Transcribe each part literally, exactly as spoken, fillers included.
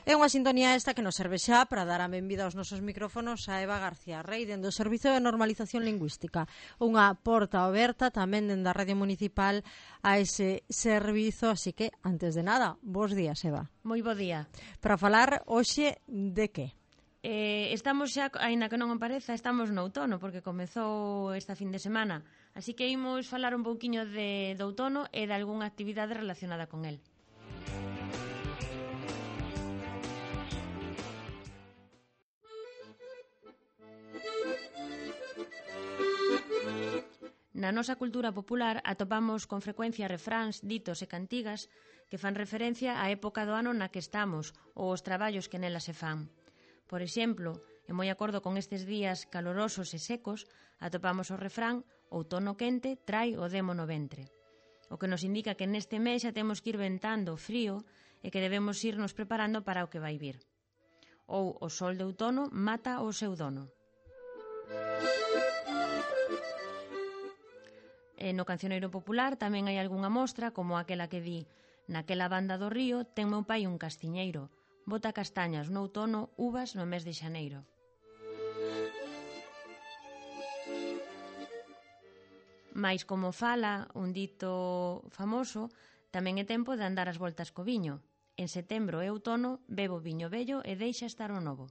É unha sintonía esta que nos serve xa para dar a benvida aos nosos micrófonos a Eva García Rey dende o Servizo de Normalización Lingüística, unha porta aberta tamén dende a Radio Municipal a ese servizo, así que, antes de nada, bos días, Eva. Moi bo día. Para falar hoxe de que? Eh, estamos xa, aínda que non me pareza, estamos no outono, porque comezou esta fin de semana, así que imos falar un pouquiño de, de outono e de algunha actividade relacionada con el. Na nosa cultura popular atopamos con frecuencia refráns, ditos e cantigas que fan referencia á época do ano na que estamos ou os traballos que nela se fan. Por exemplo, e moi acordo con estes días calorosos e secos, atopamos o refrán outono quente trai o demo no ventre, o que nos indica que neste mes xa temos que ir ventando o frío e que debemos irnos preparando para o que vai vir. Ou o sol de outono mata o seu dono. E no cancioneiro popular tamén hai algunha mostra como aquela que di: naquela banda do río ten meu pai un castiñeiro, bota castañas no outono, uvas no mes de xaneiro. Mais como fala un dito famoso, tamén é tempo de andar as voltas co viño. En setembro e outono bebo viño vello e deixa estar o novo.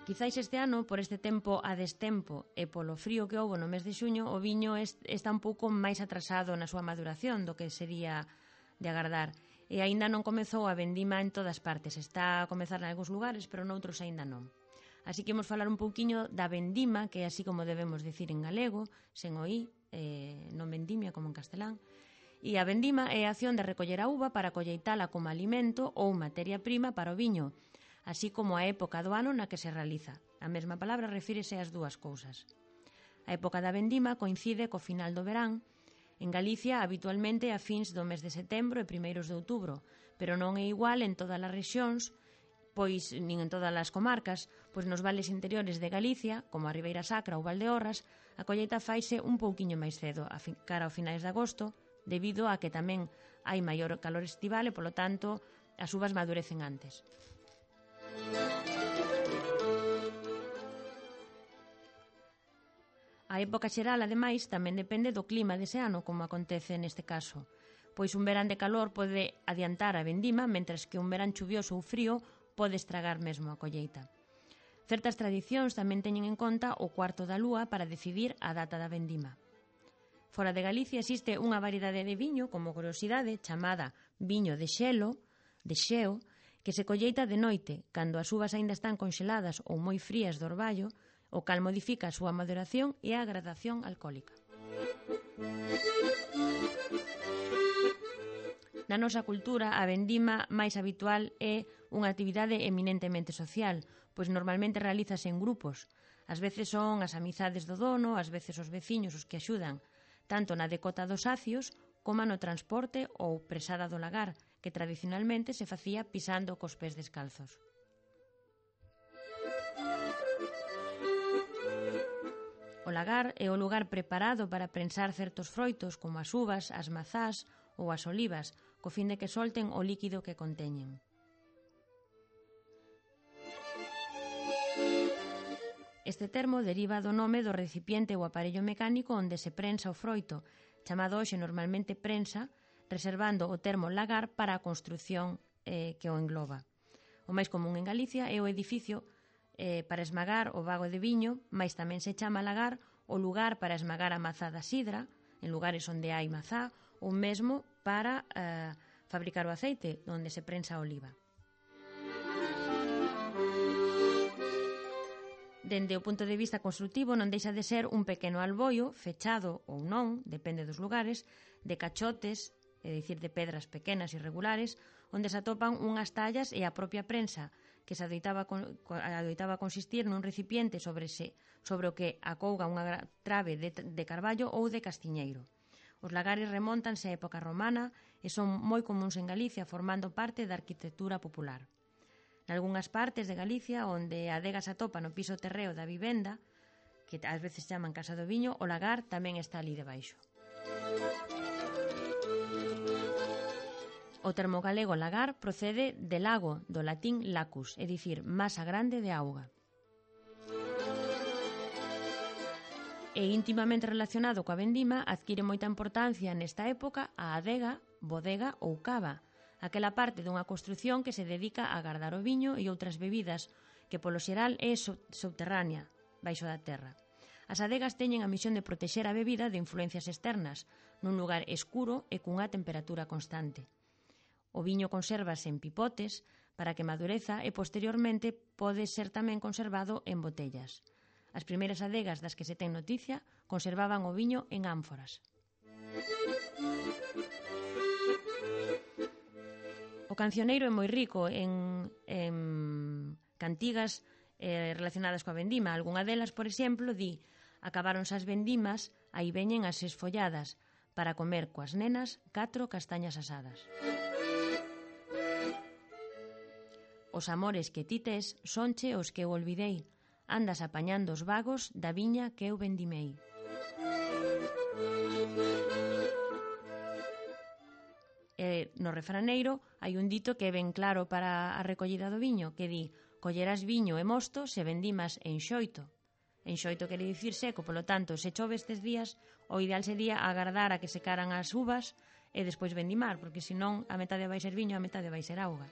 Quizáis este ano, por este tempo a destempo e polo frío que houbo no mes de xuño, o viño está un pouco máis atrasado na súa maduración do que sería de agardar. E aínda non comezou a vendima en todas partes. Está a comezar en algúns lugares, pero noutros aínda non. Así que imos falar un pouquiño da vendima, que é así como debemos dicir en galego, sen o i, eh, non vendimia como en castelán. E a vendima é a acción de recoller a uva para colleitala como alimento ou materia prima para o viño, así como a época do ano na que se realiza. A mesma palabra refírese ás dúas cousas. A época da vendima coincide co final do verán. En Galicia, habitualmente, a fins do mes de setembro e primeiros de outubro, pero non é igual en todas as rexións, pois nin en todas as comarcas, pois nos vales interiores de Galicia, como a Ribeira Sacra ou Valdeorras, a colleita faise un pouquiño máis cedo, a fin, cara ao finais de agosto, debido a que tamén hai maior calor estival e, polo tanto, as uvas madurecen antes. A época xeral, ademais, tamén depende do clima dese ano, como acontece neste caso, pois un verán de calor pode adiantar a vendima, mentres que un verán chuvioso ou frío pode estragar mesmo a colleita. Certas tradicións tamén teñen en conta o cuarto da lúa para decidir a data da vendima. Fora de Galicia existe unha variedade de viño, como curiosidade, chamada viño de xelo, de xeo, que se colleita de noite, cando as uvas aínda están conxeladas ou moi frías do orballo, o cal modifica a súa maduración e a gradación alcohólica. Na nosa cultura, a vendima máis habitual é unha actividade eminentemente social, pois normalmente realízase en grupos. Ás veces son as amizades do dono, ás veces os veciños os que axudan, tanto na decota dos acios como no transporte ou presada do lagar, que tradicionalmente se facía pisando cos pés descalzos. O lagar é o lugar preparado para prensar certos froitos como as uvas, as mazás ou as olivas, co fin de que solten o líquido que conteñen. Este termo deriva do nome do recipiente ou aparello mecánico onde se prensa o froito, chamado hoxe normalmente prensa, reservando o termo lagar para a construción eh, que o engloba. O máis común en Galicia é o edificio eh, para esmagar o bago de viño, mais tamén se chama lagar o lugar para esmagar a mazá da sidra, en lugares onde hai mazá, ou mesmo para eh, fabricar o aceite, onde se prensa a oliva. Dende o punto de vista construtivo non deixa de ser un pequeno alboio, fechado ou non, depende dos lugares, de cachotes, é dicir, de pedras pequenas e irregulares, onde se atopan unhas tallas e a propia prensa, que se adoitaba, adoitaba consistir nun recipiente sobre, se, sobre o que acouga unha trave de, de carballo ou de castiñeiro. Os lagares remóntanse á época romana e son moi comuns en Galicia, formando parte da arquitectura popular. Nalgúnas partes de Galicia, onde a adega se atopa no piso terreo da vivenda, que ás veces chaman Casa do Viño, o lagar tamén está ali debaixo. O termo galego lagar procede de lago, do latín lacus, é dicir, masa grande de auga. E íntimamente relacionado coa vendima, adquire moita importancia nesta época a adega, bodega ou cava, aquela parte dunha construción que se dedica a guardar o viño e outras bebidas, que polo xeral é subterránea, baixo da terra. As adegas teñen a misión de protexer a bebida de influencias externas, nun lugar escuro e cunha temperatura constante. O viño consérvase en pipotes para que madureza e posteriormente pode ser tamén conservado en botellas. As primeiras adegas das que se ten noticia conservaban o viño en ánforas. O cancioneiro é moi rico en, en cantigas eh, relacionadas coa vendima. Algunha delas, por exemplo, di: acabáronse as vendimas, aí veñen as esfolladas, para comer coas nenas catro castañas asadas. Os amores que ti tes sonche os que eu olvidei, andas apañando os vagos da viña que eu vendimei. E no refraneiro hai un dito que é ben claro para a recollida do viño, que di: collerás viño e mosto se vendimas en xoito. En xoito quere dicir seco, polo tanto, se chove estes días, o ideal sería agardar a que secaran as uvas e despois vendimar, porque senón a metade vai ser viño, a metade vai ser auga.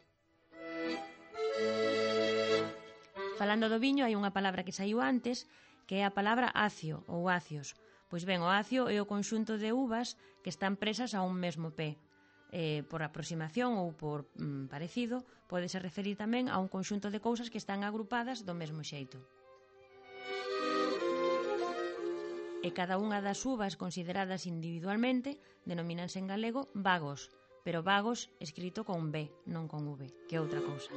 Falando do viño, hai unha palabra que saiu antes, que é a palabra acio ou acios. Pois ben, o acio é o conxunto de uvas que están presas a un mesmo pé. Eh, por aproximación ou por mm, parecido, pódese referir tamén a un conxunto de cousas que están agrupadas do mesmo xeito. E cada unha das uvas consideradas individualmente denomínanse en galego vagos, pero vagos escrito con B, non con V, que é outra cousa.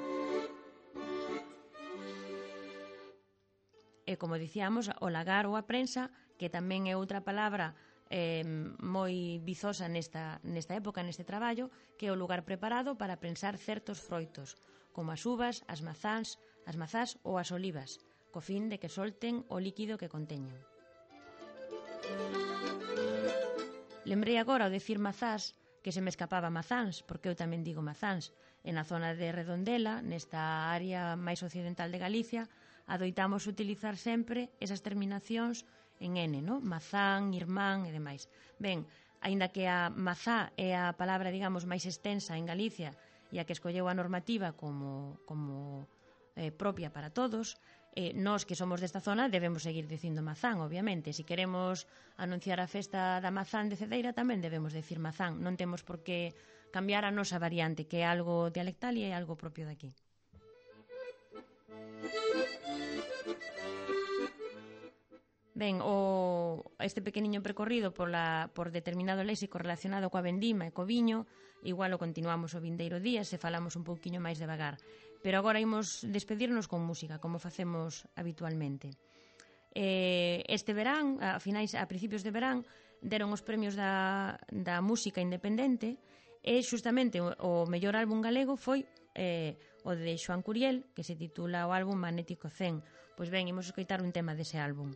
E como dicíamos, o lagar ou a prensa, que tamén é outra palabra eh, moi vizosa nesta, nesta época, neste traballo, que é o lugar preparado para prensar certos froitos, como as uvas, as mazáns, as mazás ou as olivas, co fin de que solten o líquido que conteñen. Lembrei agora ao decir mazás que se me escapaba mazáns, porque eu tamén digo mazáns. En a zona de Redondela, nesta área máis occidental de Galicia, adoitamos utilizar sempre esas terminacións en N, no? Mazán, irmán e demais. Ben, aínda que a mazá é a palabra, digamos, máis extensa en Galicia e a que escolleu a normativa como, como eh, propia para todos, eh, nós que somos desta zona debemos seguir dicindo mazán, obviamente. Se queremos anunciar a festa da mazán de Cedeira tamén debemos decir mazán. Non temos por que cambiar a nosa variante, que é algo dialectal e é algo propio de aquí. Ben, o, este pequeniño percorrido por, la, por determinado léxico relacionado coa vendima e co viño, igual o continuamos o vindeiro día se falamos un pouquiño máis devagar. Pero agora imos despedirnos con música, como facemos habitualmente. Eh, este verán, a finais, a principios de verán, deron os premios da, da música independente e xustamente o, o mellor álbum galego foi eh, o de Xoán Curiel, que se titula o álbum Magnético cen. Pois ben, imos escoitar un tema dese álbum.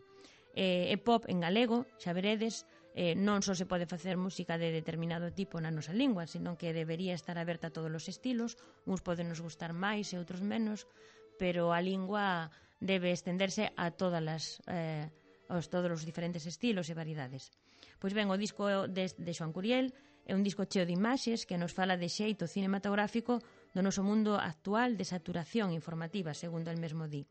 Eh, é pop en galego, xa veredes, eh, non só se pode facer música de determinado tipo na nosa lingua, senón que debería estar aberta a todos os estilos, uns poden nos gustar máis e outros menos, pero a lingua debe estenderse a todas as, eh, aos todos os diferentes estilos e variedades. Pois ben, o disco de, de Xoán Curiel é un disco cheo de imaxes que nos fala de xeito cinematográfico do noso mundo actual de saturación informativa, segundo el mesmo di.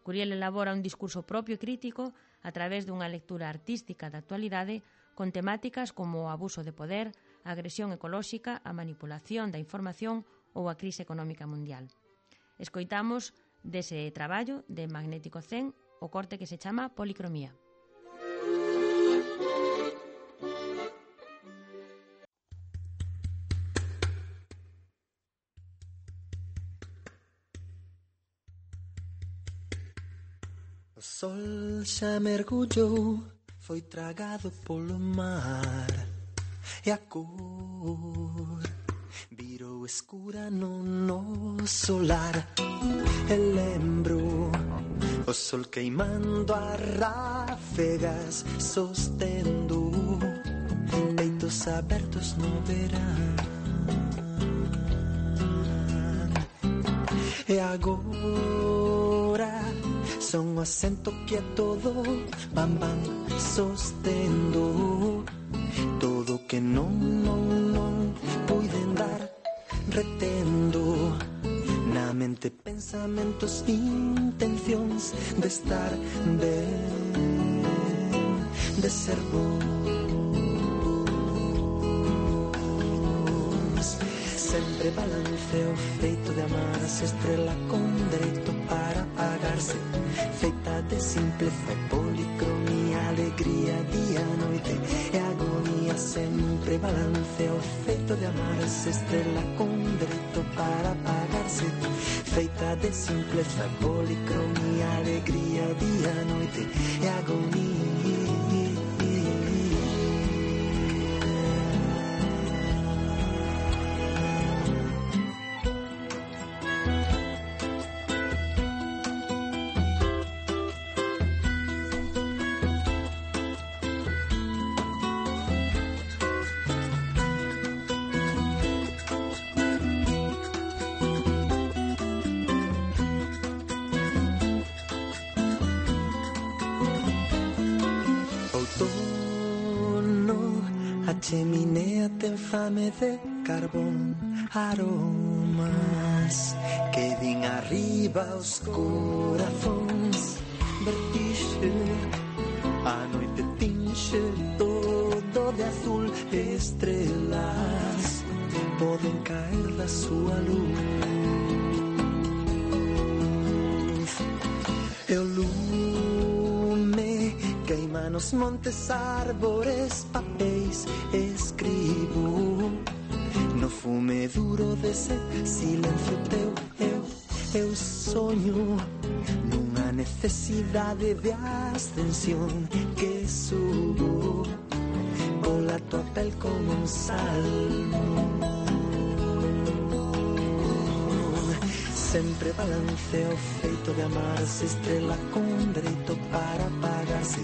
Curiel elabora un discurso propio e crítico a través dunha lectura artística da actualidade con temáticas como o abuso de poder, a agresión ecolóxica, a manipulación da información ou a crise económica mundial. Escoitamos dese traballo de Magnético cen o corte que se chama Policromía. O sol xa mergullou, foi tragado polo mar, e a cor virou escura no noso lar. E lembro o sol queimando as ráfegas, sostendo peitos abertos no verán. E agora son o acento que é todo bam bam sostendo todo que non, non, non puiden dar retendo na mente pensamentos, intencións de estar ben, de ser bons. Sempre balanceo feito de amarse, estrela con dereito para apagarse, feita de simpleza e policromía, alegría, día, noite e agonía. Sempre balanceo feito de amarse, estrela con dereito para apagarse, feita de simpleza e policromía, alegría, día, noite e agonía. Cheminea ten fame de carbón, aromas que din arriba os corazóns. Vertixe, a noite tinxe todo de azul, estrelas poden caer da súa luz. E o lume queima nos montes, árbores, papéis, escribo no fume duro dese silencio teu. Eu, eu sonho nunha necesidade de ascensión que subo pola tua pel como un salmo. Sempre balanceo feito de amarse, estrela con dereito para apagarse,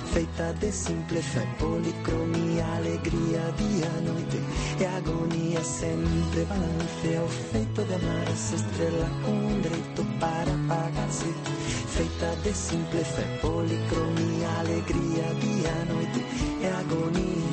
feita de simpleza e policromía, alegría, día, noite e agonía. Sempre balanceo feito de amarse, estrela con dereito para apagarse, feita de simpleza e policromía, alegría, día, noite e agonía.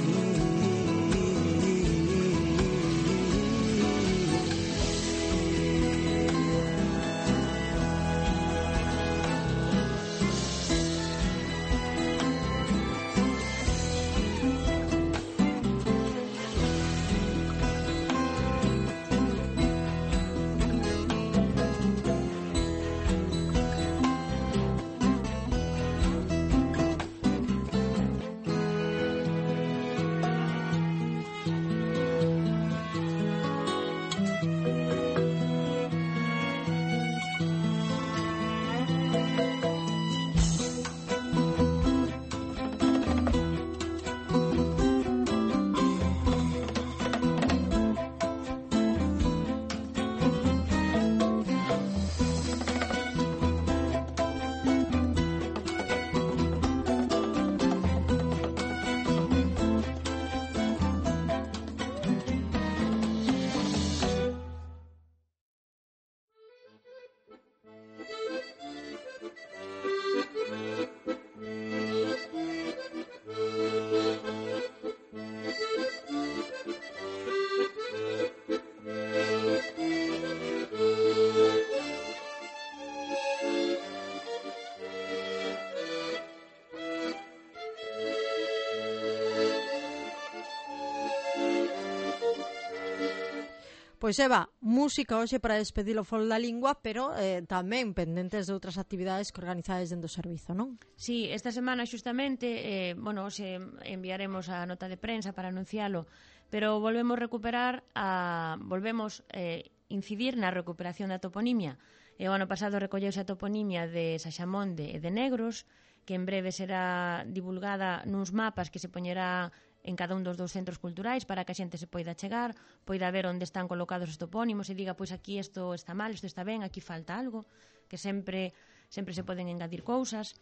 Pois Eva, música hoxe para despedir o Fol da Lingua, pero eh, tamén pendentes de outras actividades que organizades dentro do servizo, non? Sí, esta semana xustamente, eh, bueno, hoxe enviaremos a nota de prensa para anuncialo, pero volvemos recuperar a volvemos eh, incidir na recuperación da toponimia. E o ano pasado recolleuse a toponimia de Saxamonde e de Negros, que en breve será divulgada nuns mapas que se poñerá en cada un dos dous centros culturais para que a xente se poida chegar, poida ver onde están colocados os topónimos e diga, pois aquí isto está mal, isto está ben, aquí falta algo, que sempre sempre se poden engadir cousas.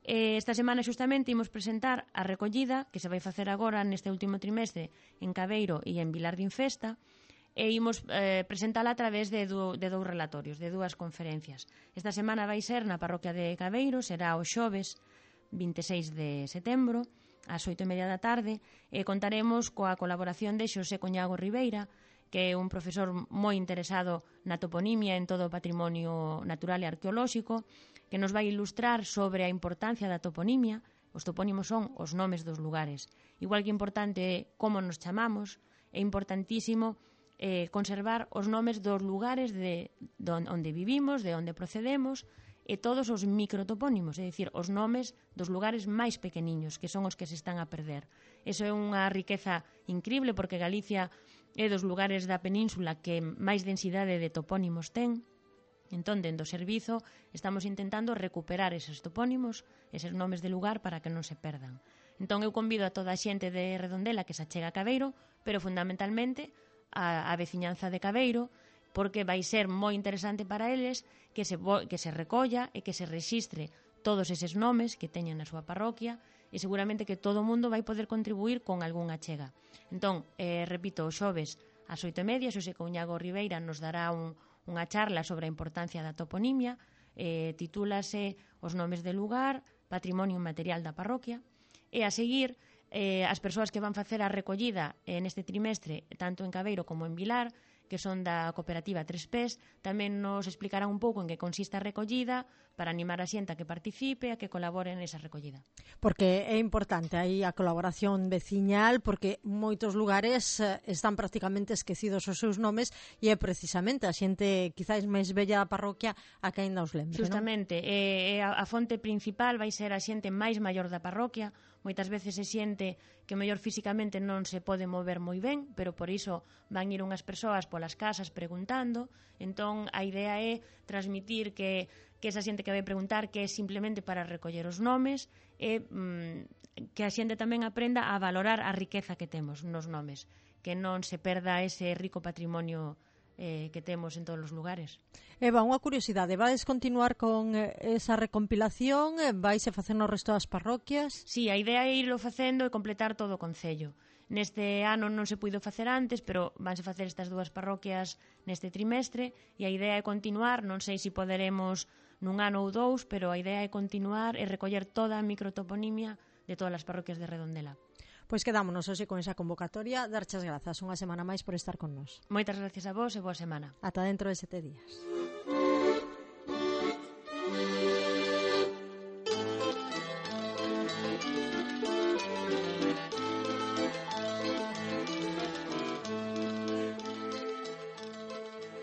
Eh, esta semana xustamente imos presentar a recollida que se vai facer agora neste último trimestre en Cabeiro e en Vilar de Infesta. e imos eh, presentala a través de, do, de dous relatorios, de dúas conferencias. Esta semana vai ser na parroquia de Cabeiro, será o xoves vinte e seis de setembro, ás oito e media da tarde, e contaremos coa colaboración de Xosé Coñago Ribeira, que é un profesor moi interesado na toponimia en todo o patrimonio natural e arqueolóxico, que nos vai ilustrar sobre a importancia da toponimia. Os topónimos son os nomes dos lugares. Igual que importante é como nos chamamos, é importantísimo eh, conservar os nomes dos lugares de, de onde vivimos, de onde procedemos, e todos os microtopónimos, é dicir, os nomes dos lugares máis pequeniños, que son os que se están a perder. Eso é unha riqueza increíble, porque Galicia é dos lugares da península que máis densidade de topónimos ten. Entón, dentro do servizo, estamos intentando recuperar eses topónimos, eses nomes de lugar, para que non se perdan. Entón, eu convido a toda a xente de Redondela que se achega a Cabeiro, pero fundamentalmente a, a veciñanza de Cabeiro, porque vai ser moi interesante para eles que se, que se recolla e que se rexistre todos eses nomes que teñen na súa parroquia, e seguramente que todo o mundo vai poder contribuir con algunha achega. Entón, eh, repito, o xoves ás oito e media, Xosé Coñago Ribeira nos dará un, unha charla sobre a importancia da toponimia, eh, titúlase Os nomes de lugar, patrimonio material da parroquia, e a seguir, eh, as persoas que van facer a recollida eh, neste trimestre, tanto en Cabeiro como en Vilar, que son da cooperativa Tres Pés, tamén nos explicarán un pouco en que consiste a recollida, para animar a xente a que participe, a que colabore nesa recollida. Porque é importante aí a colaboración veciñal, porque moitos lugares están prácticamente esquecidos os seus nomes, e é precisamente a xente quizáis máis bella da parroquia a que aínda os lembre. Justamente, non? E, e a, a fonte principal vai ser a xente máis maior da parroquia. Moitas veces se xente que mellor físicamente non se pode mover moi ben, pero por iso van ir unhas persoas polas casas preguntando. Entón, a idea é transmitir que, que esa xente que vai preguntar, que é simplemente para recoller os nomes, e mm, que a xente tamén aprenda a valorar a riqueza que temos nos nomes, que non se perda ese rico patrimonio eh, que temos en todos os lugares. Eva, unha curiosidade, vais continuar con esa recompilación? Vais a facer no resto das parroquias? Sí, a idea é irlo facendo e completar todo o concello. Neste ano non se puido facer antes, pero vanse facer estas dúas parroquias neste trimestre, e a idea é continuar, non sei se poderemos nun ano ou dous, pero a idea é continuar e recoller toda a microtoponimia de todas as parroquias de Redondela. Pois quedámonos hoxe con esa convocatoria. Darchas grazas unha semana máis por estar con nós. Moitas gracias a vos e boa semana. Ata dentro de sete días.